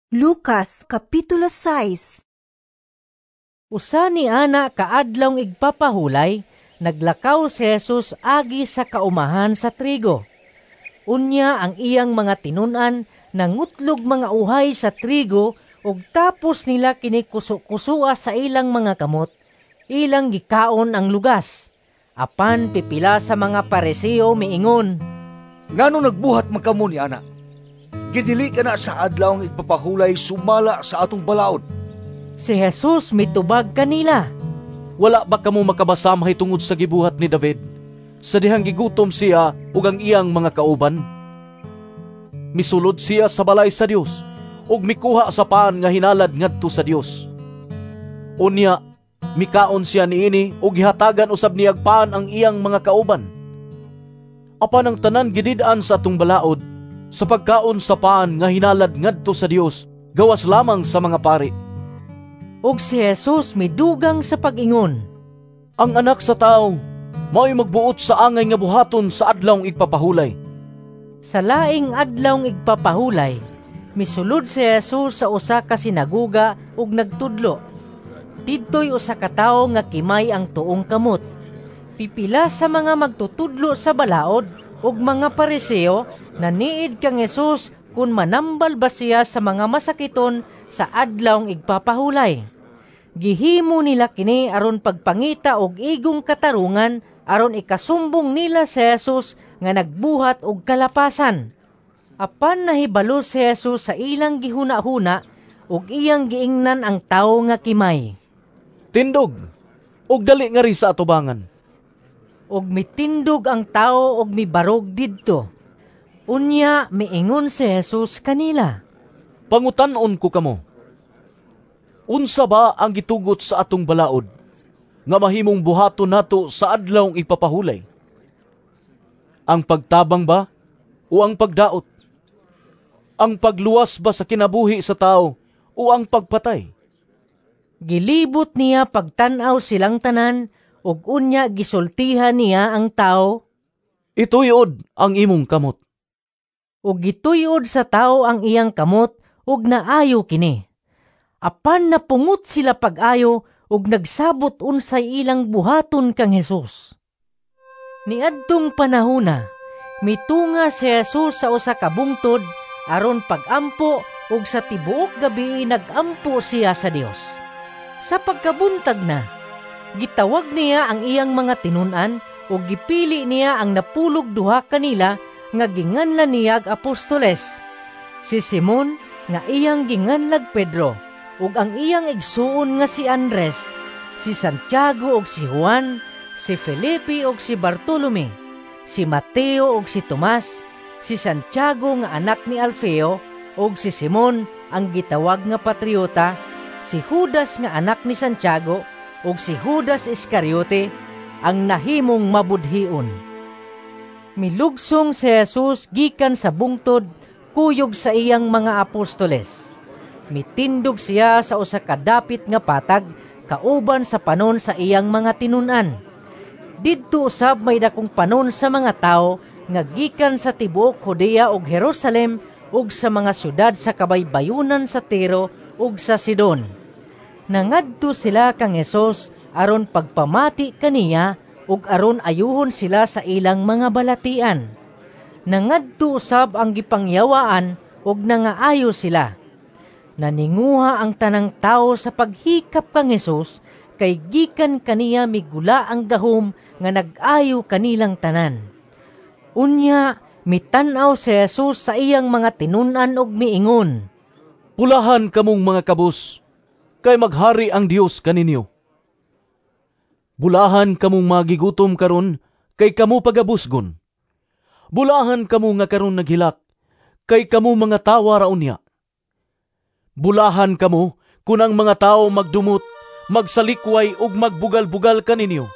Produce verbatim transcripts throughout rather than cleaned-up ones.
Lucas Kapitulo sais. Usa ni ana ka adlawng igpapahulay, naglakaw si Jesus agi sa kaumahan sa trigo. Unya ang iyang mga tinun-an nangutlog mga uhay sa trigo ug tapos nila kini kusu-kusua sa ilang mga kamot, ilang gikaon ang lugas. Apan pipila sa mga Pariseo miingon, "Ngano nagbuhat man kamo ni ana? Gidili kana sa adlawng igpapahulay sumala sa atong balaod." Si Jesus mitubag kanila, "Wala ba kamo makabasa mahitungod sa gibuhat ni David sa dihang gigutom siya ug ang iyang mga kauban? Misulod siya sa balay sa Dios ug mikuha sa pan nga hinalad ngadto sa Dios. Unya mikaon siya niini ug gihatagan usab niyag pan ang iyang mga kauban. Apan ang tanan gidid-an sa atong balaod sa pagkaon sa pan nga hinalad ngadto sa Dios gawas lamang sa mga pari." Ug si Jesus midugang sa pag-ingon, "Ang Anak sa Tawo mao'y magbuot sa angay nga buhaton sa adlawng igpapahulay." Sa laing adlawng igpapahulay, misulod si Jesus sa usa ka sinaguga ug nagtudlo. Didtoy usa ka tawo nga kimay ang tuong kamot. Pipila sa mga magtutudlo sa balaod ug mga Pariseo naniid kang Jesus kun manambal ba siya sa mga masakiton sa adlawng igpapahulay. Gihimo nila kini aron pagpangita og igong katarungan aron ikasumbong nila si Jesus nga nagbuhat og kalapasan. Apan nahibalo si Jesus sa ilang gihuna-huna ug iyang giingnan ang tawo nga kimay, "Tindog, ug dali ngari sa atubangan." Ug mitindog ang tawo ug mibarog didto. Unya miingon si Jesus kanila, "Pangutan-on ko kamo. Unsa ba ang gitugot sa atong balaod nga mahimong buhaton nato sa adlawng igpapahulay? Ang pagtabang ba o ang pagdaot? Ang pagluwas ba sa kinabuhi sa tao o ang pagpatay?" Gilibot niya pagtan-aw silang tanan ug unya gisultihan niya ang tawo, "Ituyod ang imong kamot." Ug gituyod sa tawo ang iyang kamot ug naayo kini. Apan napungot sila pag-ayo ug nagsabot unsay ilang buhaton kang Jesus. Niadtong panahona, mitunga si Jesus sa usa ka bungtod aron pagampo ug sa tibuok gabi nagampo siya sa Dios. Sa pagkabuntag na, gitawag niya ang iyang mga tinun-an ug gipili niya ang napulog duha kanila nga ginganlan niyag apostoles. Si Simon nga iyang ginganlag Pedro ug ang iyang igsuon nga si Andres, si Santiago ug si Juan, si Felipe ug si Bartolome, si Mateo ug si Tomas, si Santiago nga anak ni Alfeo ug si Simon ang gitawag nga patriota, si Judas nga anak ni Santiago ug si Judas Iscariote ang nahimong mabudhion. Milugsong si Jesus gikan sa bungtod kuyog sa iyang mga apostoles. Mitindog siya sa usa ka dapit nga patag kauban sa panon sa iyang mga tinun-an. Didto usab may dakong panon sa mga tawo nga gikan sa tibuok Judea ug Jerusalem ug sa mga syudad sa kabaybayunan sa Tiro ug sa Sidon. Nangadto sila kang Jesus aron pagpamati kaniya ug aron ayuhon sila sa ilang mga balatian. Nangadto usab ang gipangyawaan ug nangaayo sila. Naninguha ang tanang tawo sa paghikap kang Jesus kay gikan kaniya migula ang gahom nga nag-ayo kanilang tanan. Unya mitan-aw si Jesus sa iyang mga tinun-an ug miingon, "Bulahan kamong mga kabus, kay maghari ang Dios kaninyo. Bulahan kamong mga gigutom karon, kay kamo pagabusgon. Bulahan kamo nga karon naghilak, kay kamo mangatawa ra unya. Bulahan kamo kun ang mga tawo magdumot, magsalikway ug magbugal-bugal kaninyo.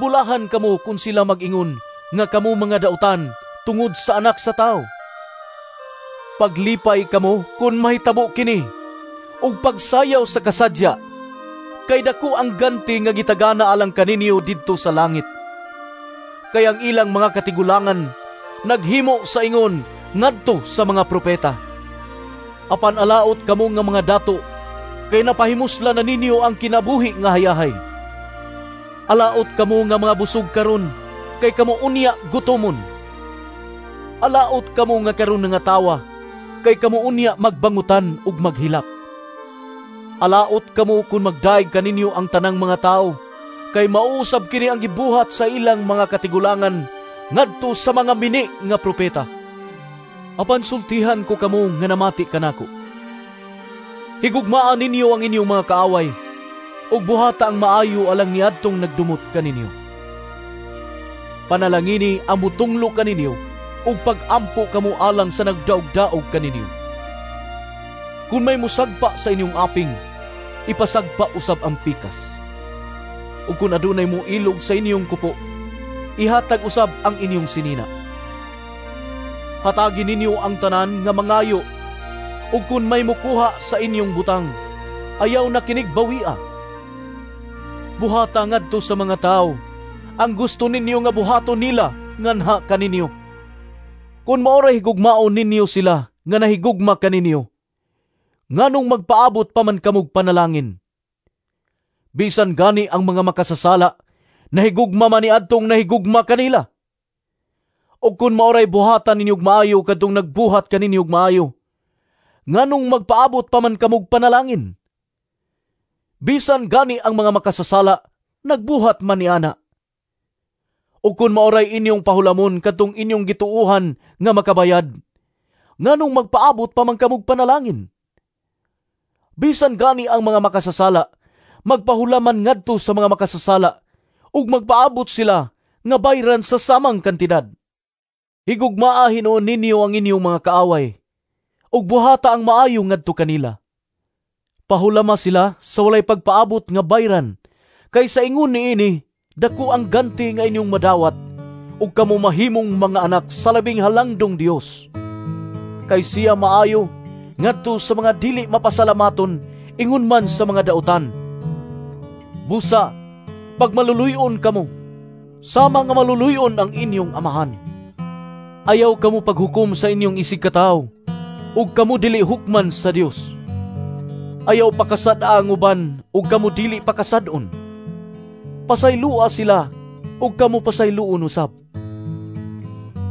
Bulahan kamo kun sila mag-ingon nga kamo mga dautan tungod sa Anak sa Tawo. Paglipay kamo kun mahitabo kini, ug pagsayaw sa kasadya, kay dako ang ganti nga gitagana alang kaninyo didto sa langit. Kay ang ilang mga katigulangan naghimo sa ingon ngadto sa mga propeta. Apan alaot kamo nga mga dato, kay napahimusla na ninyo ang kinabuhi nga hayahay. Alaot kamo nga mga busog karon, kay kamo unya gutomon. Alaot kamo nga karon nangatawa, kay kamo unya magbangutan ug maghilak. Alaot kamo kun magdaig kaninyo ang tanang mga tawo, kay mauusab kini ang gibuhat sa ilang mga katigulangan ngadto sa mga mini nga propeta. Apan sultihan ko kamo nga namati kanako. Higugmaa ninyo ang inyong mga kaaway, ug buhata ang maayo alang niadtong nagdumot kaninyo. Panalangini ang mutunglo kaninyo, ug pag-ampo kamo alang sa nagdaog-daog kaninyo. Kung may musagpa sa inyong aping, ipasagpa usab ang pikas. Ug kung adunay moilog sa inyong kupo, ihatag usab ang inyong sinina. Hatagi ninyo ang tanan nga mangayo, ug kun may mukuha sa inyong butang, ayaw na kinig bawia. Buhata ngadto sa mga tawo ang gusto ninyo nga buhaton nila nganha kaninyo. Kun mao ra higugmaon ninyo sila nga nahigugma kaninyo, nganong magpaabot pa man kamog panalangin? Bisan gani ang mga makasasala, nahigugma man niadtong nahigugma kanila. O kun mao ray buhatan ninyog maayo kadtong nagbuhat kaninyog maayo, nganong magpaabot pa man kamog panalangin? Bisan gani ang mga makasasala, nagbuhat man niana. O kun mao ray inyong pahulamon kadtong inyong gituohan nga makabayad, nganong magpaabot pa man kamog panalangin? Bisan gani ang mga makasasala, magpahulaman ngadto sa mga makasasala, ug magpaabot sila nga bayran sa samang kantidad. Higugmaa hinuon ninyo ang inyong mga kaaway, ug buhata ang maayo ngadto kanila. Pahulama sila sa walay pagpaabot nga bayran, kay sa ingon niini dako ang ganti nga inyong madawat, ug kamo mahimong mga anak sa labing halangdong Dios. Kay siya maayo ngadto sa mga dili mapasalamaton, ingon man sa mga dautan. Busa, pagmaluluyon kamo, sama nga maluluyon ang inyong amahan. Ayaw kamo paghukom sa inyong isig katawo, ug kamo dili hukman sa Dios. Ayaw pakasad-a ang uban, ug kamo dili pakasad-on. Pasaylua sila, ug kamo pasayloon usab.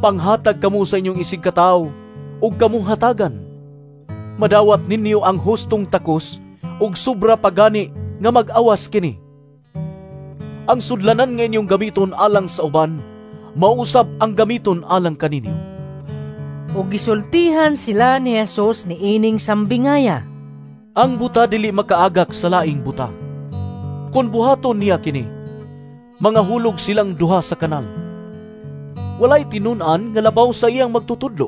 Panghatag kamo sa inyong isig katawo, ug kamo hatagan. Madawat ninyo ang hustong takos, ug sobra pagani nga mag-awas kini. Ang sudlanan nga inyong gamiton alang sa uban, mausab ang gamiton alang kaninyo. Ug gisultihan sila ni Jesus niining sambingaya. Ang buta dili makaagak sa laing buta. Kun buhaton niya kini, mga hulog silang duha sa kanal. Walay tinun-an nga labaw sa iyang magtutudlo.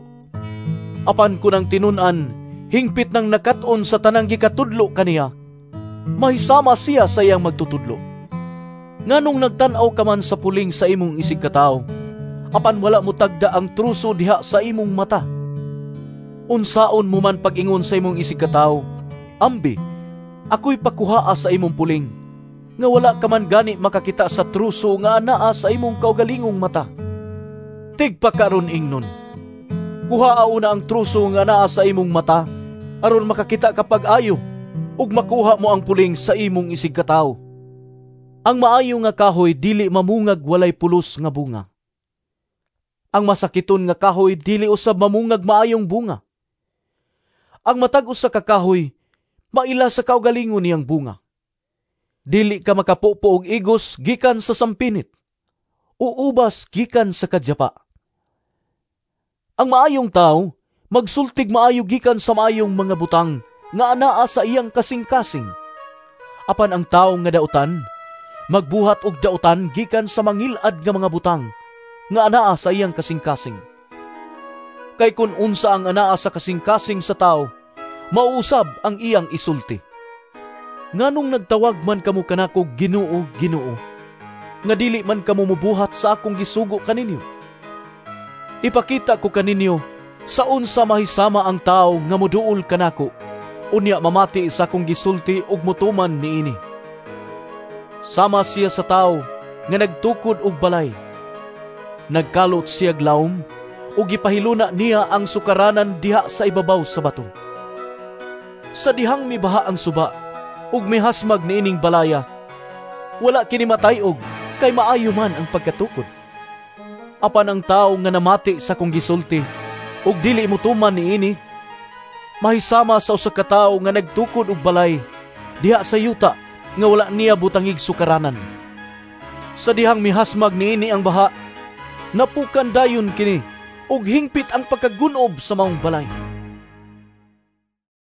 Apan kun ang tinun-an hingpit nang nakat-on sa tanang gikatudlo kaniya, mahisama siya sa iyang magtutudlo. Nganong nagtan-aw ka man sa puling sa imong isig katawo, apan wala mo tagda ang truso diha sa imong mata? Unsaon mo man pag-ingon sa imong isig katawo, ambi, ako'y pakuhaa sa imong puling, nga wala ka man gani makakita sa truso nga anaa sa imong kaugalingong mata? Tigpakaron ingnon, kuhaa una ang truso nga anaa sa imong mata, aron makakita ka pag-ayo, ug makuha mo ang puling sa imong isig katawo. Ang maayo nga kahoy dili mamungag walay pulos nga bunga. Ang masakiton nga kahoy dili usab mamungag maayong bunga. Ang matag usa ka kahoy maila sa kaugalingon niyang bunga. Dili ka makapupo og igos gikan sa sampinit, o ubas gikan sa kadyapa. Ang maayong tawo magsultig maayo gikan sa maayong mga butang nga anaa sa iyang kasing-kasing. Apan ang tawo nga dautan magbuhat og dautan gikan sa mangilad nga mga butang nga anaa sa iyang kasing-kasing. Kay kun unsa ang anaa sa kasing-kasing sa tawo, mauusab ang iyang isulti. Nganong nagtawag man kamo kanako Ginoo, Ginoo, nga dili man kamo mubuhat sa akong gisugo kaninyo? Ipakita ko kaninyo sa unsa mahisama ang tawo nga moduol kanako, unya mamati sa akong gisulti ug motuman niini. Sama siya sa tawo nga nagtukod og balay. Nagkalot siya lawom ug gipahiluna niya ang sukaranan diha sa ibabaw sa bato. Sa dihang mibaha ang suba ug mihasmag niining balaya, wala kini matay-og kay maayo man ang pagkatukod. Apan ang tawo nga namati sa akong gisulti ug dili motuman niini, mahisama sa usa ka tawo nga nagtukod og balay diha sa yuta nga wala niya butangig sukaranan. Sa dihang mihasmag niini ang baha, napukan dayon kini ug hingpit ang pagkagun-ob sa maong balay."